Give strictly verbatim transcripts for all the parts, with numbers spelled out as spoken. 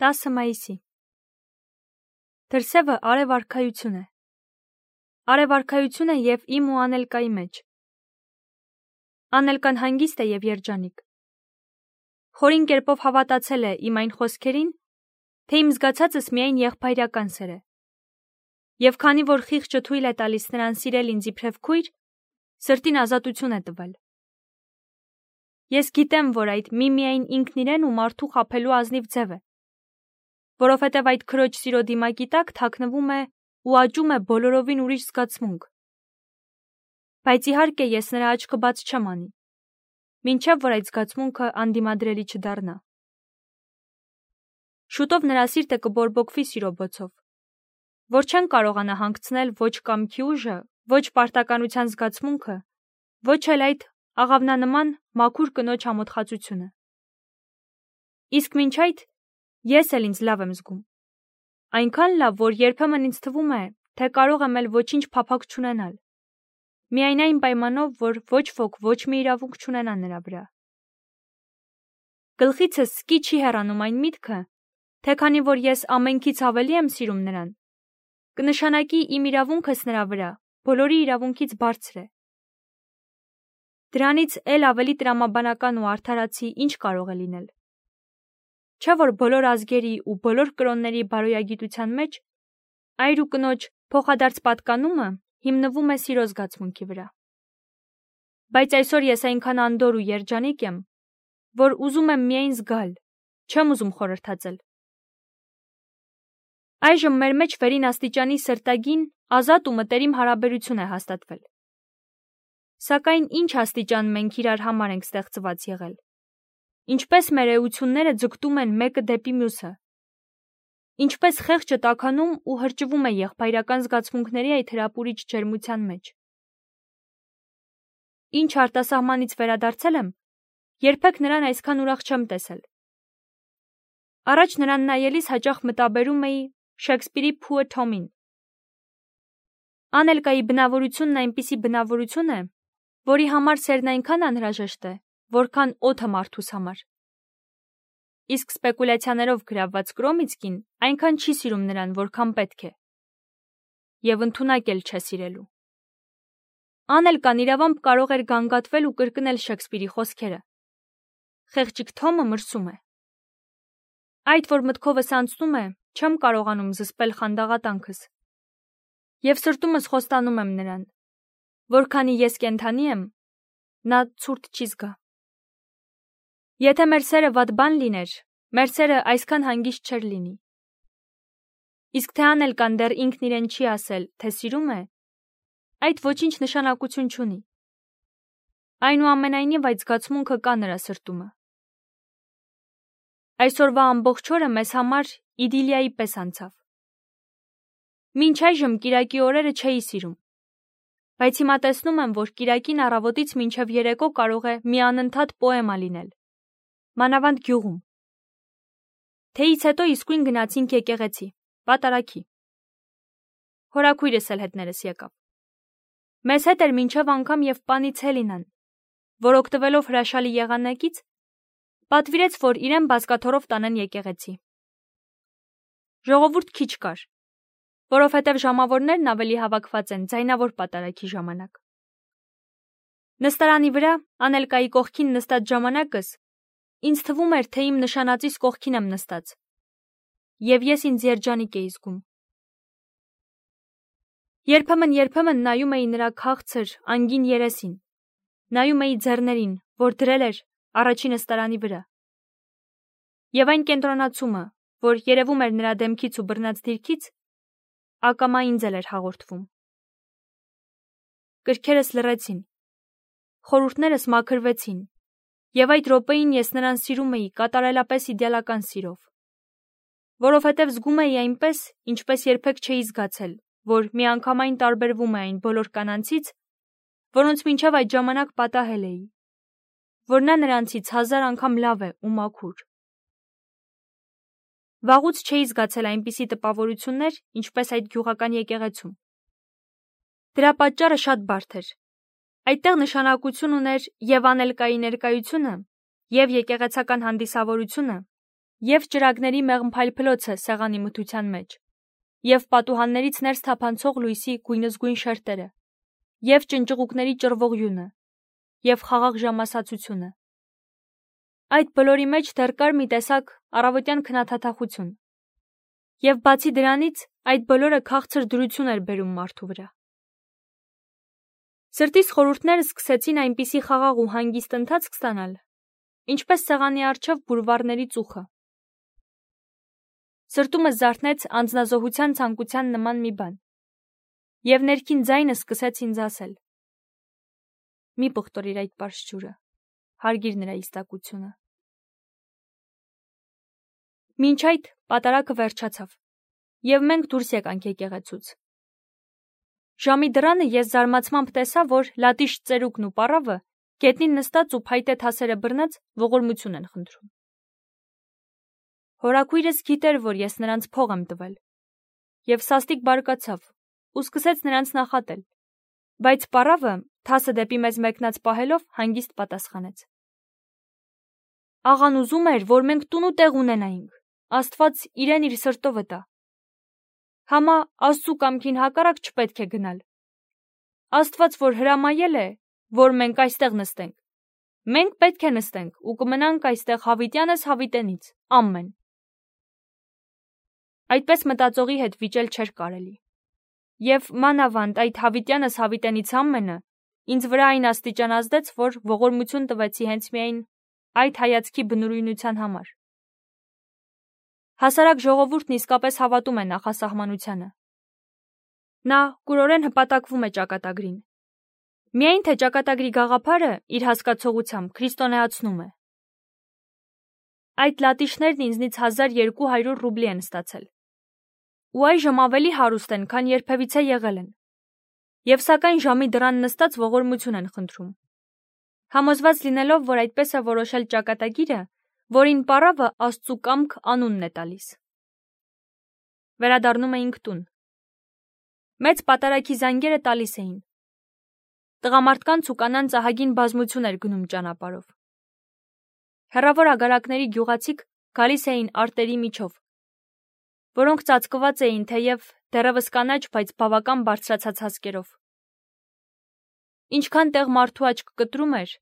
տասը մայիսի Դրսևը արևարքայություն է։ Արևարքայություն է և իմ ու Անելկայի մեջ։ Անելկան հանգիստ է և երջանիկ։ Խորին կերպով հավատացել է իմ այն խոսքերին, թե իմ զգացածս միայն եղբայրական սեր է։ Եվ քանի որ խիղճը թույլ է տալիս նրան սիրել ինձ իբրև քույր, սրտին ազատություն է տվել։ Ես գիտեմ, որ այդ միմիայն ինքն իրեն ու մարդու խաբելու ազնիվ ձև է, որովհետև այդ քրոջ սիրո դիմակի տակ թաքնվում է ու աճում է բոլորովին ուրիշ զգացմունք։ Բայց իհարկե ես նրա աչքը բաց չեմ անի, մինչև որ այդ զգացմունքը անդիմադրելի չդառնա։ Շուտով նրա սիրտը կբորբոքվի սիրո բոցով, որ չեն կարողանա հանգցնել ոչ կամքի ուժը, ոչ պարտականության զգացմունքը, ոչ էլ այդ աղավնանման մաքուր կնոջ ամոթխածությունը։ Իսկ մինչ այդ ես էլ ինձ լավ եմ զգում, այնքան լավ, որ երբեմն ինձ թվում է, թե կարող եմ էլ ոչինչ փափագ չունենալ, միայն այն պայմանով, որ ոչ ոք ոչ մի իրավունք չունենա նրա վրա։ Գլխիցս սկի չի հեռանում այն միտքը, թե քանի որ ես ամենքից ավելի եմ սիրում նրան, կնշանակի իմ իրավունքս նրա վրա բոլորի իրավունքից բարձր է։ Դրանից էլ ավելի տրամաբանական ու արդարացի ինչ կարող է լինել։ Չէ՞ որ բոլոր ազգերի ու բոլոր կրոնների բարոյագիտության մեջ այր ու կնոջ փոխադարձ պատկանումը հիմնվում է սիրո զգացմունքի վրա։ Բայց այսօր ես այնքան անդոր ու երջանիկ եմ, որ ուզում եմ միայն զգալ, չեմ ուզում խորհրդածել։ Այժմ մեր մեջ վերին աստիճանի սրտագին, ազատ ու մտերիմ հարաբերություն է հաստատվել։ Սակայն ինչ աստիճան մենք իրար համար ենք ստեղծված եղել։ Ինչպես մեր էությունները ձգտում են մեկը դեպի մյուսը։ Ինչպես խեղճը տաքանում ու հրճվում է եղբայրական զգացմունքների այդ հրապուրիչ ջերմության մեջ։ Ինչ արտասահմանից վերադարձել եմ, երբեք նրան այսքան ուրախ չեմ տեսել։ Առաջ նրան նայելիս հաճախ մտաբերում էի Շեքսպիրի Փուը Թոմին։ Անելկայի բնավորությունն այնպիսի բնավորություն է, որի համար սերն այնքան անհրաժեշտ է, որքան օդը մարդուս համար։ Իսկ սպեկուլյացիաներով գրավված Կրոմիցկին այնքան չի սիրում նրան, որքան պետք է։ Եվ ընդունակ էլ չէ սիրելու։ Անելկան իրավամբ կարող էր գանգատվել ու կրկնել Շեքսպիրի խոսքերը։ Խեղճիկ Թոմը մրսում է։ Այդ որ մտքովս անցնում է, չեմ կարողանում զսպել խանդաղատանքս։ Եվ սրտումս խոստանում եմ նրան, որքանի ես կենդանի եմ, նա ցուրտ չի զգա։ Եթե մեր սերը վատ բան լիներ, մեր սերը այսքան հանգիստ չէր լինի։ Իսկ թե Անելկան դեռ ինքն իրեն չի ասել, թե սիրում է, այդ ոչինչ նշանակություն չունի։ Այնուամենայնիվ այդ զգացմունքը կա նրա սրտումը։ Այսօրվա ամբողջ օրը մեզ համար իդիլիայի պես անցավ։ Մինչ այժմ կիրակի օրերը չէի սիրում, բայց հիմա տեսնում եմ, որ կիրակին առավոտից մինչև երեկո կարող է մի անընդհատ պոեմա լինել, մանավանդ գյուղում։ Թեյից հետո իսկույն գնացինք եկեղեցի, պատարագի։ Հորաքույրս էլ հետներս եկավ։ Մեզ հետ էր մինչև անգամ և պանից Հելինան, որ օգտվելով հրաշալի եղանակից, պատվիրեց, որ իրեն բազկաթոռով տանեն եկեղեցի։ Ժողովուրդ քիչ կար, որովհետև ժամավորներն ավելի հավաքված են ձայնավոր պատարագի ժամանակ։ Նստարանի վրա, Անելկայի կողքին նստած ժամանակս, ինձ թվում էր, թե իմ նշանածիս կողքին եմ նստած, և ես ինձ երջանիկ էի զգում։ Երբեմն-երբեմն նայում էի նրա քաղցր, անգին երեսին, նայում էի ձեռներին, որ դրել էր առաջին նստարանի վրա։ Եվ այն կենտրոնացումը, որ երևում էր նրա դեմքից ու բռնած դիրքից, ակամա ինձ էլ էր հաղորդվում։ Կրքերս լռեցին, խորհուրդներս մաքրվեցին, և այդ րոպեին ես նրան սիրում էի կատարելապես իդեալական սիրով, որովհետև զգում էի այնպես, ինչպես երբեք չէի զգացել, որ միանգամայն տարբերվում է այն բոլոր կանանցից, որոնց մինչև այդ ժամանակ պատահել էի, որ նա նրանցից հազար անգամ լավ է ու մաքուր։ Վաղուց չէի զգացել այնպիսի տպավորություններ, ինչպես այդ գյուղական եկեղեցում։ Դրա պատճառը շատ բարդ էր։ Այդտեղ նշանակություն ուներ և Անելկայի ներկայությունը, և եկեղեցական հանդիսավորությունը, Եվ ճրագների մեղմ փայլփլոցը սեղանի մթության մեջ, և պատուհաններից ներս թափանցող լույսի գույնզգույն շերտերը, և ճնճղուկների ճռվող յունը, և խաղաղ ժամասացությունը։ Այդ բոլորի մեջ դեռ կար մի տեսակ առավոտյան քնաթաթախություն, և բացի դրանից այդ բոլորը քաղցր դրություն էր բերում մարդու վրա։ Սրտիս խորհուրդները սկսեցին այնպիսի խաղաղ ու հանգիստ ընթացք ստանալ, ինչպես սեղանի առջև բուրվարների ծուխը։ Սրտումս զարթնեց անձնազոհության ցանկության նման մի բան, և ներքին ձայնը սկսեց ինձ ասել. «Մի պղտորիր այդ պարզ ջուրը, հարգիր նրա իստակությունը»։ Մինչ այդ պատարագը վերջացավ, և մենք դուրս եկանք եկեղեցուց։ Ժամի դռանը ես զարմացմամբ տեսա, որ լատիշ ծերուկն ու պառավը գետնին նստած ու փայտե թասերը բռնած ողորմություն են խնդրում։ Հորաքույրս գիտեր, որ ես նրանց փող եմ տվել, և սաստիկ բարկացավ ու սկսեց նրանց նախատել, բայց պառավը, թասը դեպի մեզ մեկնած պահելով, հանգիստ պատասխանեց. «Աղան ուզում էր, որ մենք տուն ու տեղ ունենայինք, Աստված իրեն իր սրտովը տա։ Համա Աստծու կամքին հակառակ չպետք է գնալ։ Աստված որ հրամայել է, որ մենք այստեղ նստենք, մենք պետք է նստենք ու կմնանք այստեղ հավիտյանս հավիտենից, ամեն»։ Այդպես մտածողի հետ վիճել չէր կարելի, և մանավանդ այդ հավիտյանս հավիտենից ամենը ինձ վրա այն աստիճան ազդեց, որ ողորմություն տվեցի հենց միայն այդ հայացքի բնուրույնության համար։ Հասարակ ժողովուրդն իսկապես հավատում է նախասահմանությանը։ Նա կուրորեն հպատակվում է ճակատագրին, միայն թե ճակատագրի գաղափարը իր հասկացողությամբ քրիստոնեացնում է։ Այդ լատիշներն ինձնից հազար երկու հարյուր ռուբլի են ստացել, ու այժմ ավելի հարուստ են, քան երբևիցե եղել են, և սակայն ժամի դռան նստած ողորմություն են խնդրում, համոզված լինելով, որ այդպես է որոշել ճակատագիրը, որին պառավը Աստծու կամք անունն է տալիս։ Վերադառնում էինք տուն։ Մեծ պատարագի զանգերը տալիս էին։ Տղամարդկանց ու կանանց ահագին բազմություն էր գնում ճանապարհով։ Հեռավոր ագարակների գյուղացիք գալիս էին արտերի միջով, որոնք ծածկված էին թեև դեռևս կանաչ, բայց բավական բարձրացած հասկերով։ Ինչքան տեղ մարդու աչք կտրում էր,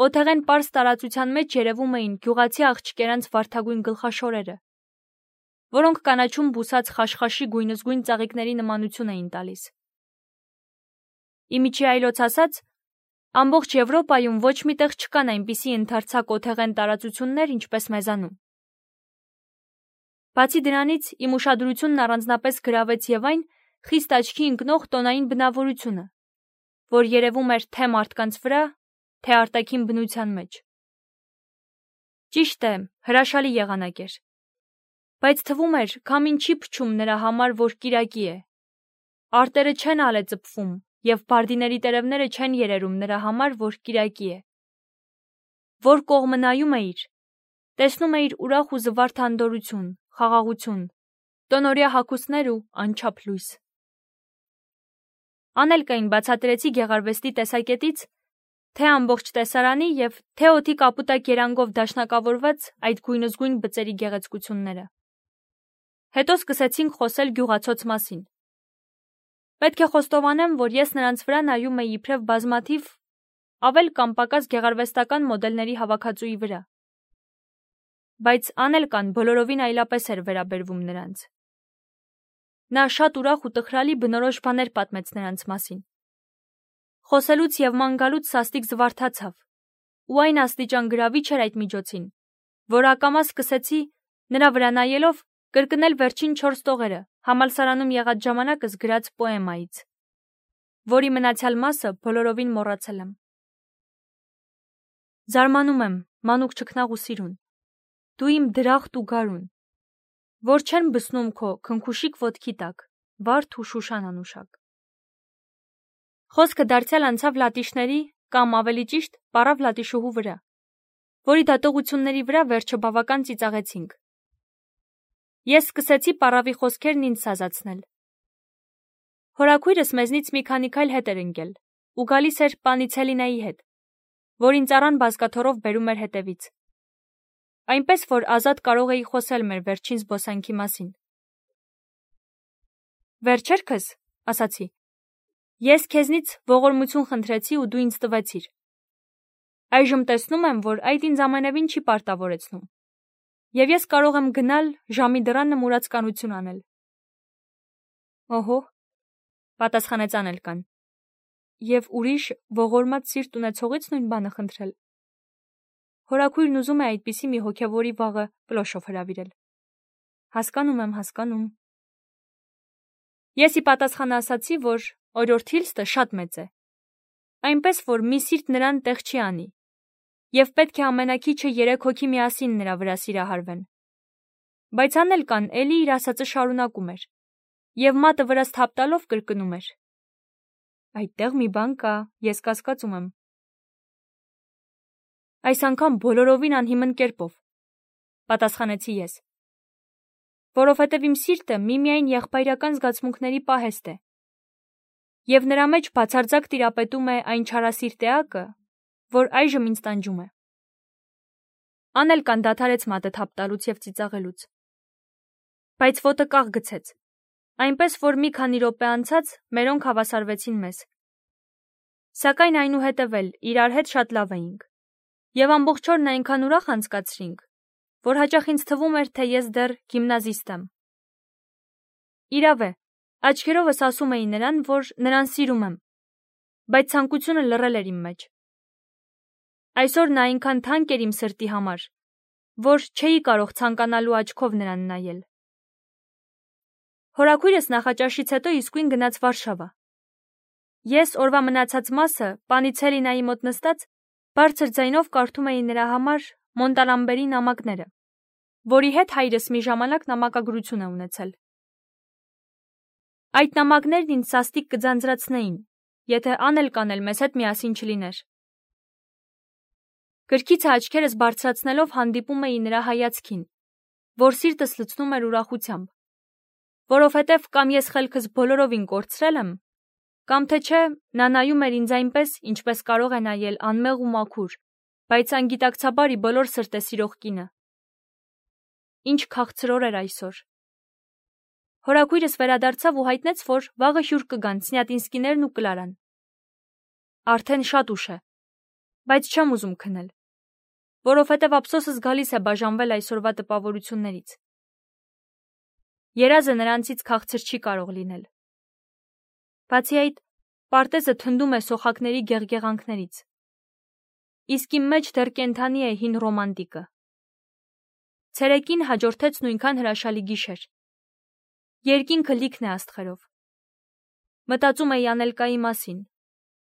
օթեղեն պարզ տարածության մեջ երևում էին գյուղացի աղջիկերանց վարդագույն գլխաշորերը, որոնք կանաչում բուսած խաշխաշի գույնզգույն ծաղիկների նմանություն էին տալիս։ Իմիջի այլոց ասած, ամբողջ Եվրոպայում ոչ մի տեղ չկան այնպիսի ընդարձակ օթեղեն տարածություններ, ինչպես մեզանում։ Բացի դրանից, իմ ուշադրությունն առանձնապես գրավեց և այն խիստ աչքի ընկնող տոնային բնավորությունը, որ երևում էր թե մարդկանց վրա, թե արտաքին բնության մեջ։ Ճիշտ է, հրաշալի եղանակ էր, բայց թվում էր, քամին չի փչում նրա համար, որ կիրակի է։ Արտերը չեն ալեծփվում, և բարդիների տերևները չեն երերում նրա համար, որ կիրակի է։ Որ կողմը նայում էիր, տեսնում էիր ուրախ ու զվարթ անդորրություն, խաղաղություն, տոնօրյա հագուստներ ու անչափ լույս։ Անելկային բացատրեցի գեղարվեստի տեսակետից, թե ամբողջ տեսարանի և թե օդի կապուտակ երանգով դաշնակավորված այդ գույնզգույն բծերի գեղեցկությունները։ Հետո սկսեցինք խոսել գյուղացոց մասին։ Պետք է խոստովանեմ, որ ես նրանց վրա նայում էի իբրև բազմաթիվ ավել կամ պակաս գեղարվեստական մոդելների հավաքածուի վրա, բայց Անելկան բոլորովին այլապես էր վերաբերվում նրանց։ Նա շատ ուրախ ու տխրալի բնորոշ բաներ պատմեց նրանց մասին։ Խոսելուց և ման գալուց սաստիկ զվարթացավ, ու այն աստիճան գրավիչ էր այդ միջոցին, որ ակամա սկսեցի, նրա վրա նայելով, կրկնել վերջին չորս տողերը համալսարանում եղած ժամանակս գրած պոեմայից, որի մնացյալ մասը բոլորովին մոռացել եմ։ Զարմանում եմ, մանուկ չքնաղ ու սիրուն, դու իմ դրախտ ու գարուն, որ չեն բսնում քո քնքուշիկ ոտքի տակ, վարդ ու շուշան անուշակ։ Խոսքը դարձյալ անցավ լատիշների կամ ավելի ճիշտ պառավ լատիշուհու վրա, որի դատողությունների վրա վերջը բավական ծիծաղեցինք։ Ես սկսեցի պառավի խոսքերն ինձ սազացնել։ Հորաքույրս մեզնից մի քանի քայլ հետ էր ընկել ու գալիս էր պանի Ցելինայի հետ, որին ծառան բազկաթոռով բերում էր հետևից։ այնպես որ ազատ կարող էի խոսել մեր վերջին զբոսանքի մասին։ Վերջերքս, ասացի, ես քեզնից ողորմություն խնդրեցի ու դու ինձ տվեցիր։ Այժմ տեսնում եմ, որ այդ ինձ ամենևին չի պարտավորեցնում։ Եվ ես կարող եմ գնալ ժամի դռանը մուրացկանություն անել։ Օհո, պատասխանեց Անելկան։ Եվ ուրիշ ողորմած սիրտ ունեցողից նույն բանը խնդրել։ Հորաքույրն ուզում է այդպիսի մի հոգևորի վաղը կլոշով հրավիրել։ Հասկանում եմ, հասկանում։ Ես ի պատասխան ասացի, որ օրորդ Հիլստը շատ մեծ է։ Այնպես որ մի սիրտ նրան տեղ չի անի։ Եվ պետք է ամենակիչը երեք հոգի միասին նրա վրա սիրահարվեն։ Բայց Անելկան էլի իր ասածը շարունակում էր։ Եվ մատը վրաս թափ տալով կրկնում էր. Այդտեղ մի բան կա, ես կասկածում եմ։ Այս անգամ բոլորովին անհիմն կերպով, պատասխանեցի ես։ Որովհետև իմ սիրտը միմիայն եղբայրական զգացմունքների պահեստ է։ Եվ նրա մեջ բացարձակ տիրապետում է այն չարասիրտ էակը, որ այժմ ինձ տանջում է։ Անելկան դադարեց մատը թափ տալուց և ծիծաղելուց։ Բայց ոտը կաղ գցեց, այնպես որ մի քանի րոպե անցած մերոնք հավասարվեցին մեզ։ Սակայն այնուհետև էլ իրար հետ շատ լավ էինք։ Եվ ամբողջ օրն այնքան ուրախ անցկացրինք, որ հաճախ ինձ թվում էր, թե ես դեռ գիմնազիստ եմ։ Իրավ է, աչքերովս ասում էի նրան, որ նրան սիրում եմ, բայց ցանկությունը լռել էր իմ մեջ։ Այսօր նա այնքան թանկ էր իմ սրտի համար, որ չէի կարող ցանկանալու աչքով նրան նայել։ Հորաքույրս նախաճաշից հետո իսկույն գնաց Վարշավա։ Ես օրվա մնացած մասը Պանիցելինայի մոտ նստած բարձր ձայնով կարդում էի նրա համար Մոնտալամբերի նամակները, որի հետ հայրս մի ժամանակ նամակագրություն է ունեցել։ Այդ նամակներն ինձ սաստիկ կձանձրացնեին, եթե Անելկան էլ մեզ հետ միասին չլիներ։ Գրքիցը աչքերս բարձրացնելով հանդիպում էի նրա հայացքին, որ սիրտս լցնում էր ուրախությամբ, որովհետև կամ ես խելքս բոլորովին կորցրել եմ, կամ թե չէ նա նայում էր ինձ այնպես, ինչպես կարող է նայել անմեղ ու մաքուր, բայց անգիտակցաբար ի բոլոր սրտե սիրող կինը։ Ինչ քաղցրոր էր այսօր։ Հորաքույրս վերադարձավ ու հայտնեց, որ վաղը հյուր կգան Սնյատինսկիներն ու Կլարան։ Արդեն շատ ուշ է, բայց չեմ ուզում քնել, որովհետև ափսոսս գալիս է բաժանվել այսօրվա տպավորություններից։ Երազը նրանցից քաղցր չի կարող լինել։ Բացի այդ, պարտեզը թնդում է սոխակների գեղգեղանքներից։ Իսկ իմ մեջ դեռ կենդանի է հին ռոմանտիկը։ Ցերեկին հաջորդեց նույնքան հրաշալի գիշեր։ Երկինքը լիքն է աստղերով։ Մտածում էի Անելկայի մասին,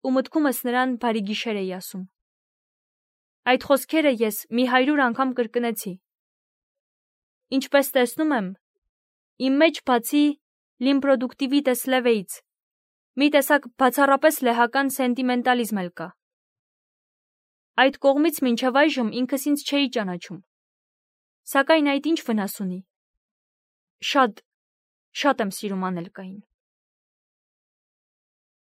ու մտքումս նրան բարի գիշեր էի ասում։ Այդ խոսքերը ես մի հարյուր անգամ կրկնեցի։ Ինչպես տեսնում եմ, իմ մեջ բացի լիմպրոդուկտիվիտես լևեից, մի տեսակ բացառապես լեհական սենտիմենտալիզմ էլ կա։ Այդ կողմից մինչև այժմ ինքս ինձ չէի ճանաչում։ Սակայն այդ ինչ վնաս ունի։ Շատ, շատ եմ սիրում Անելկային։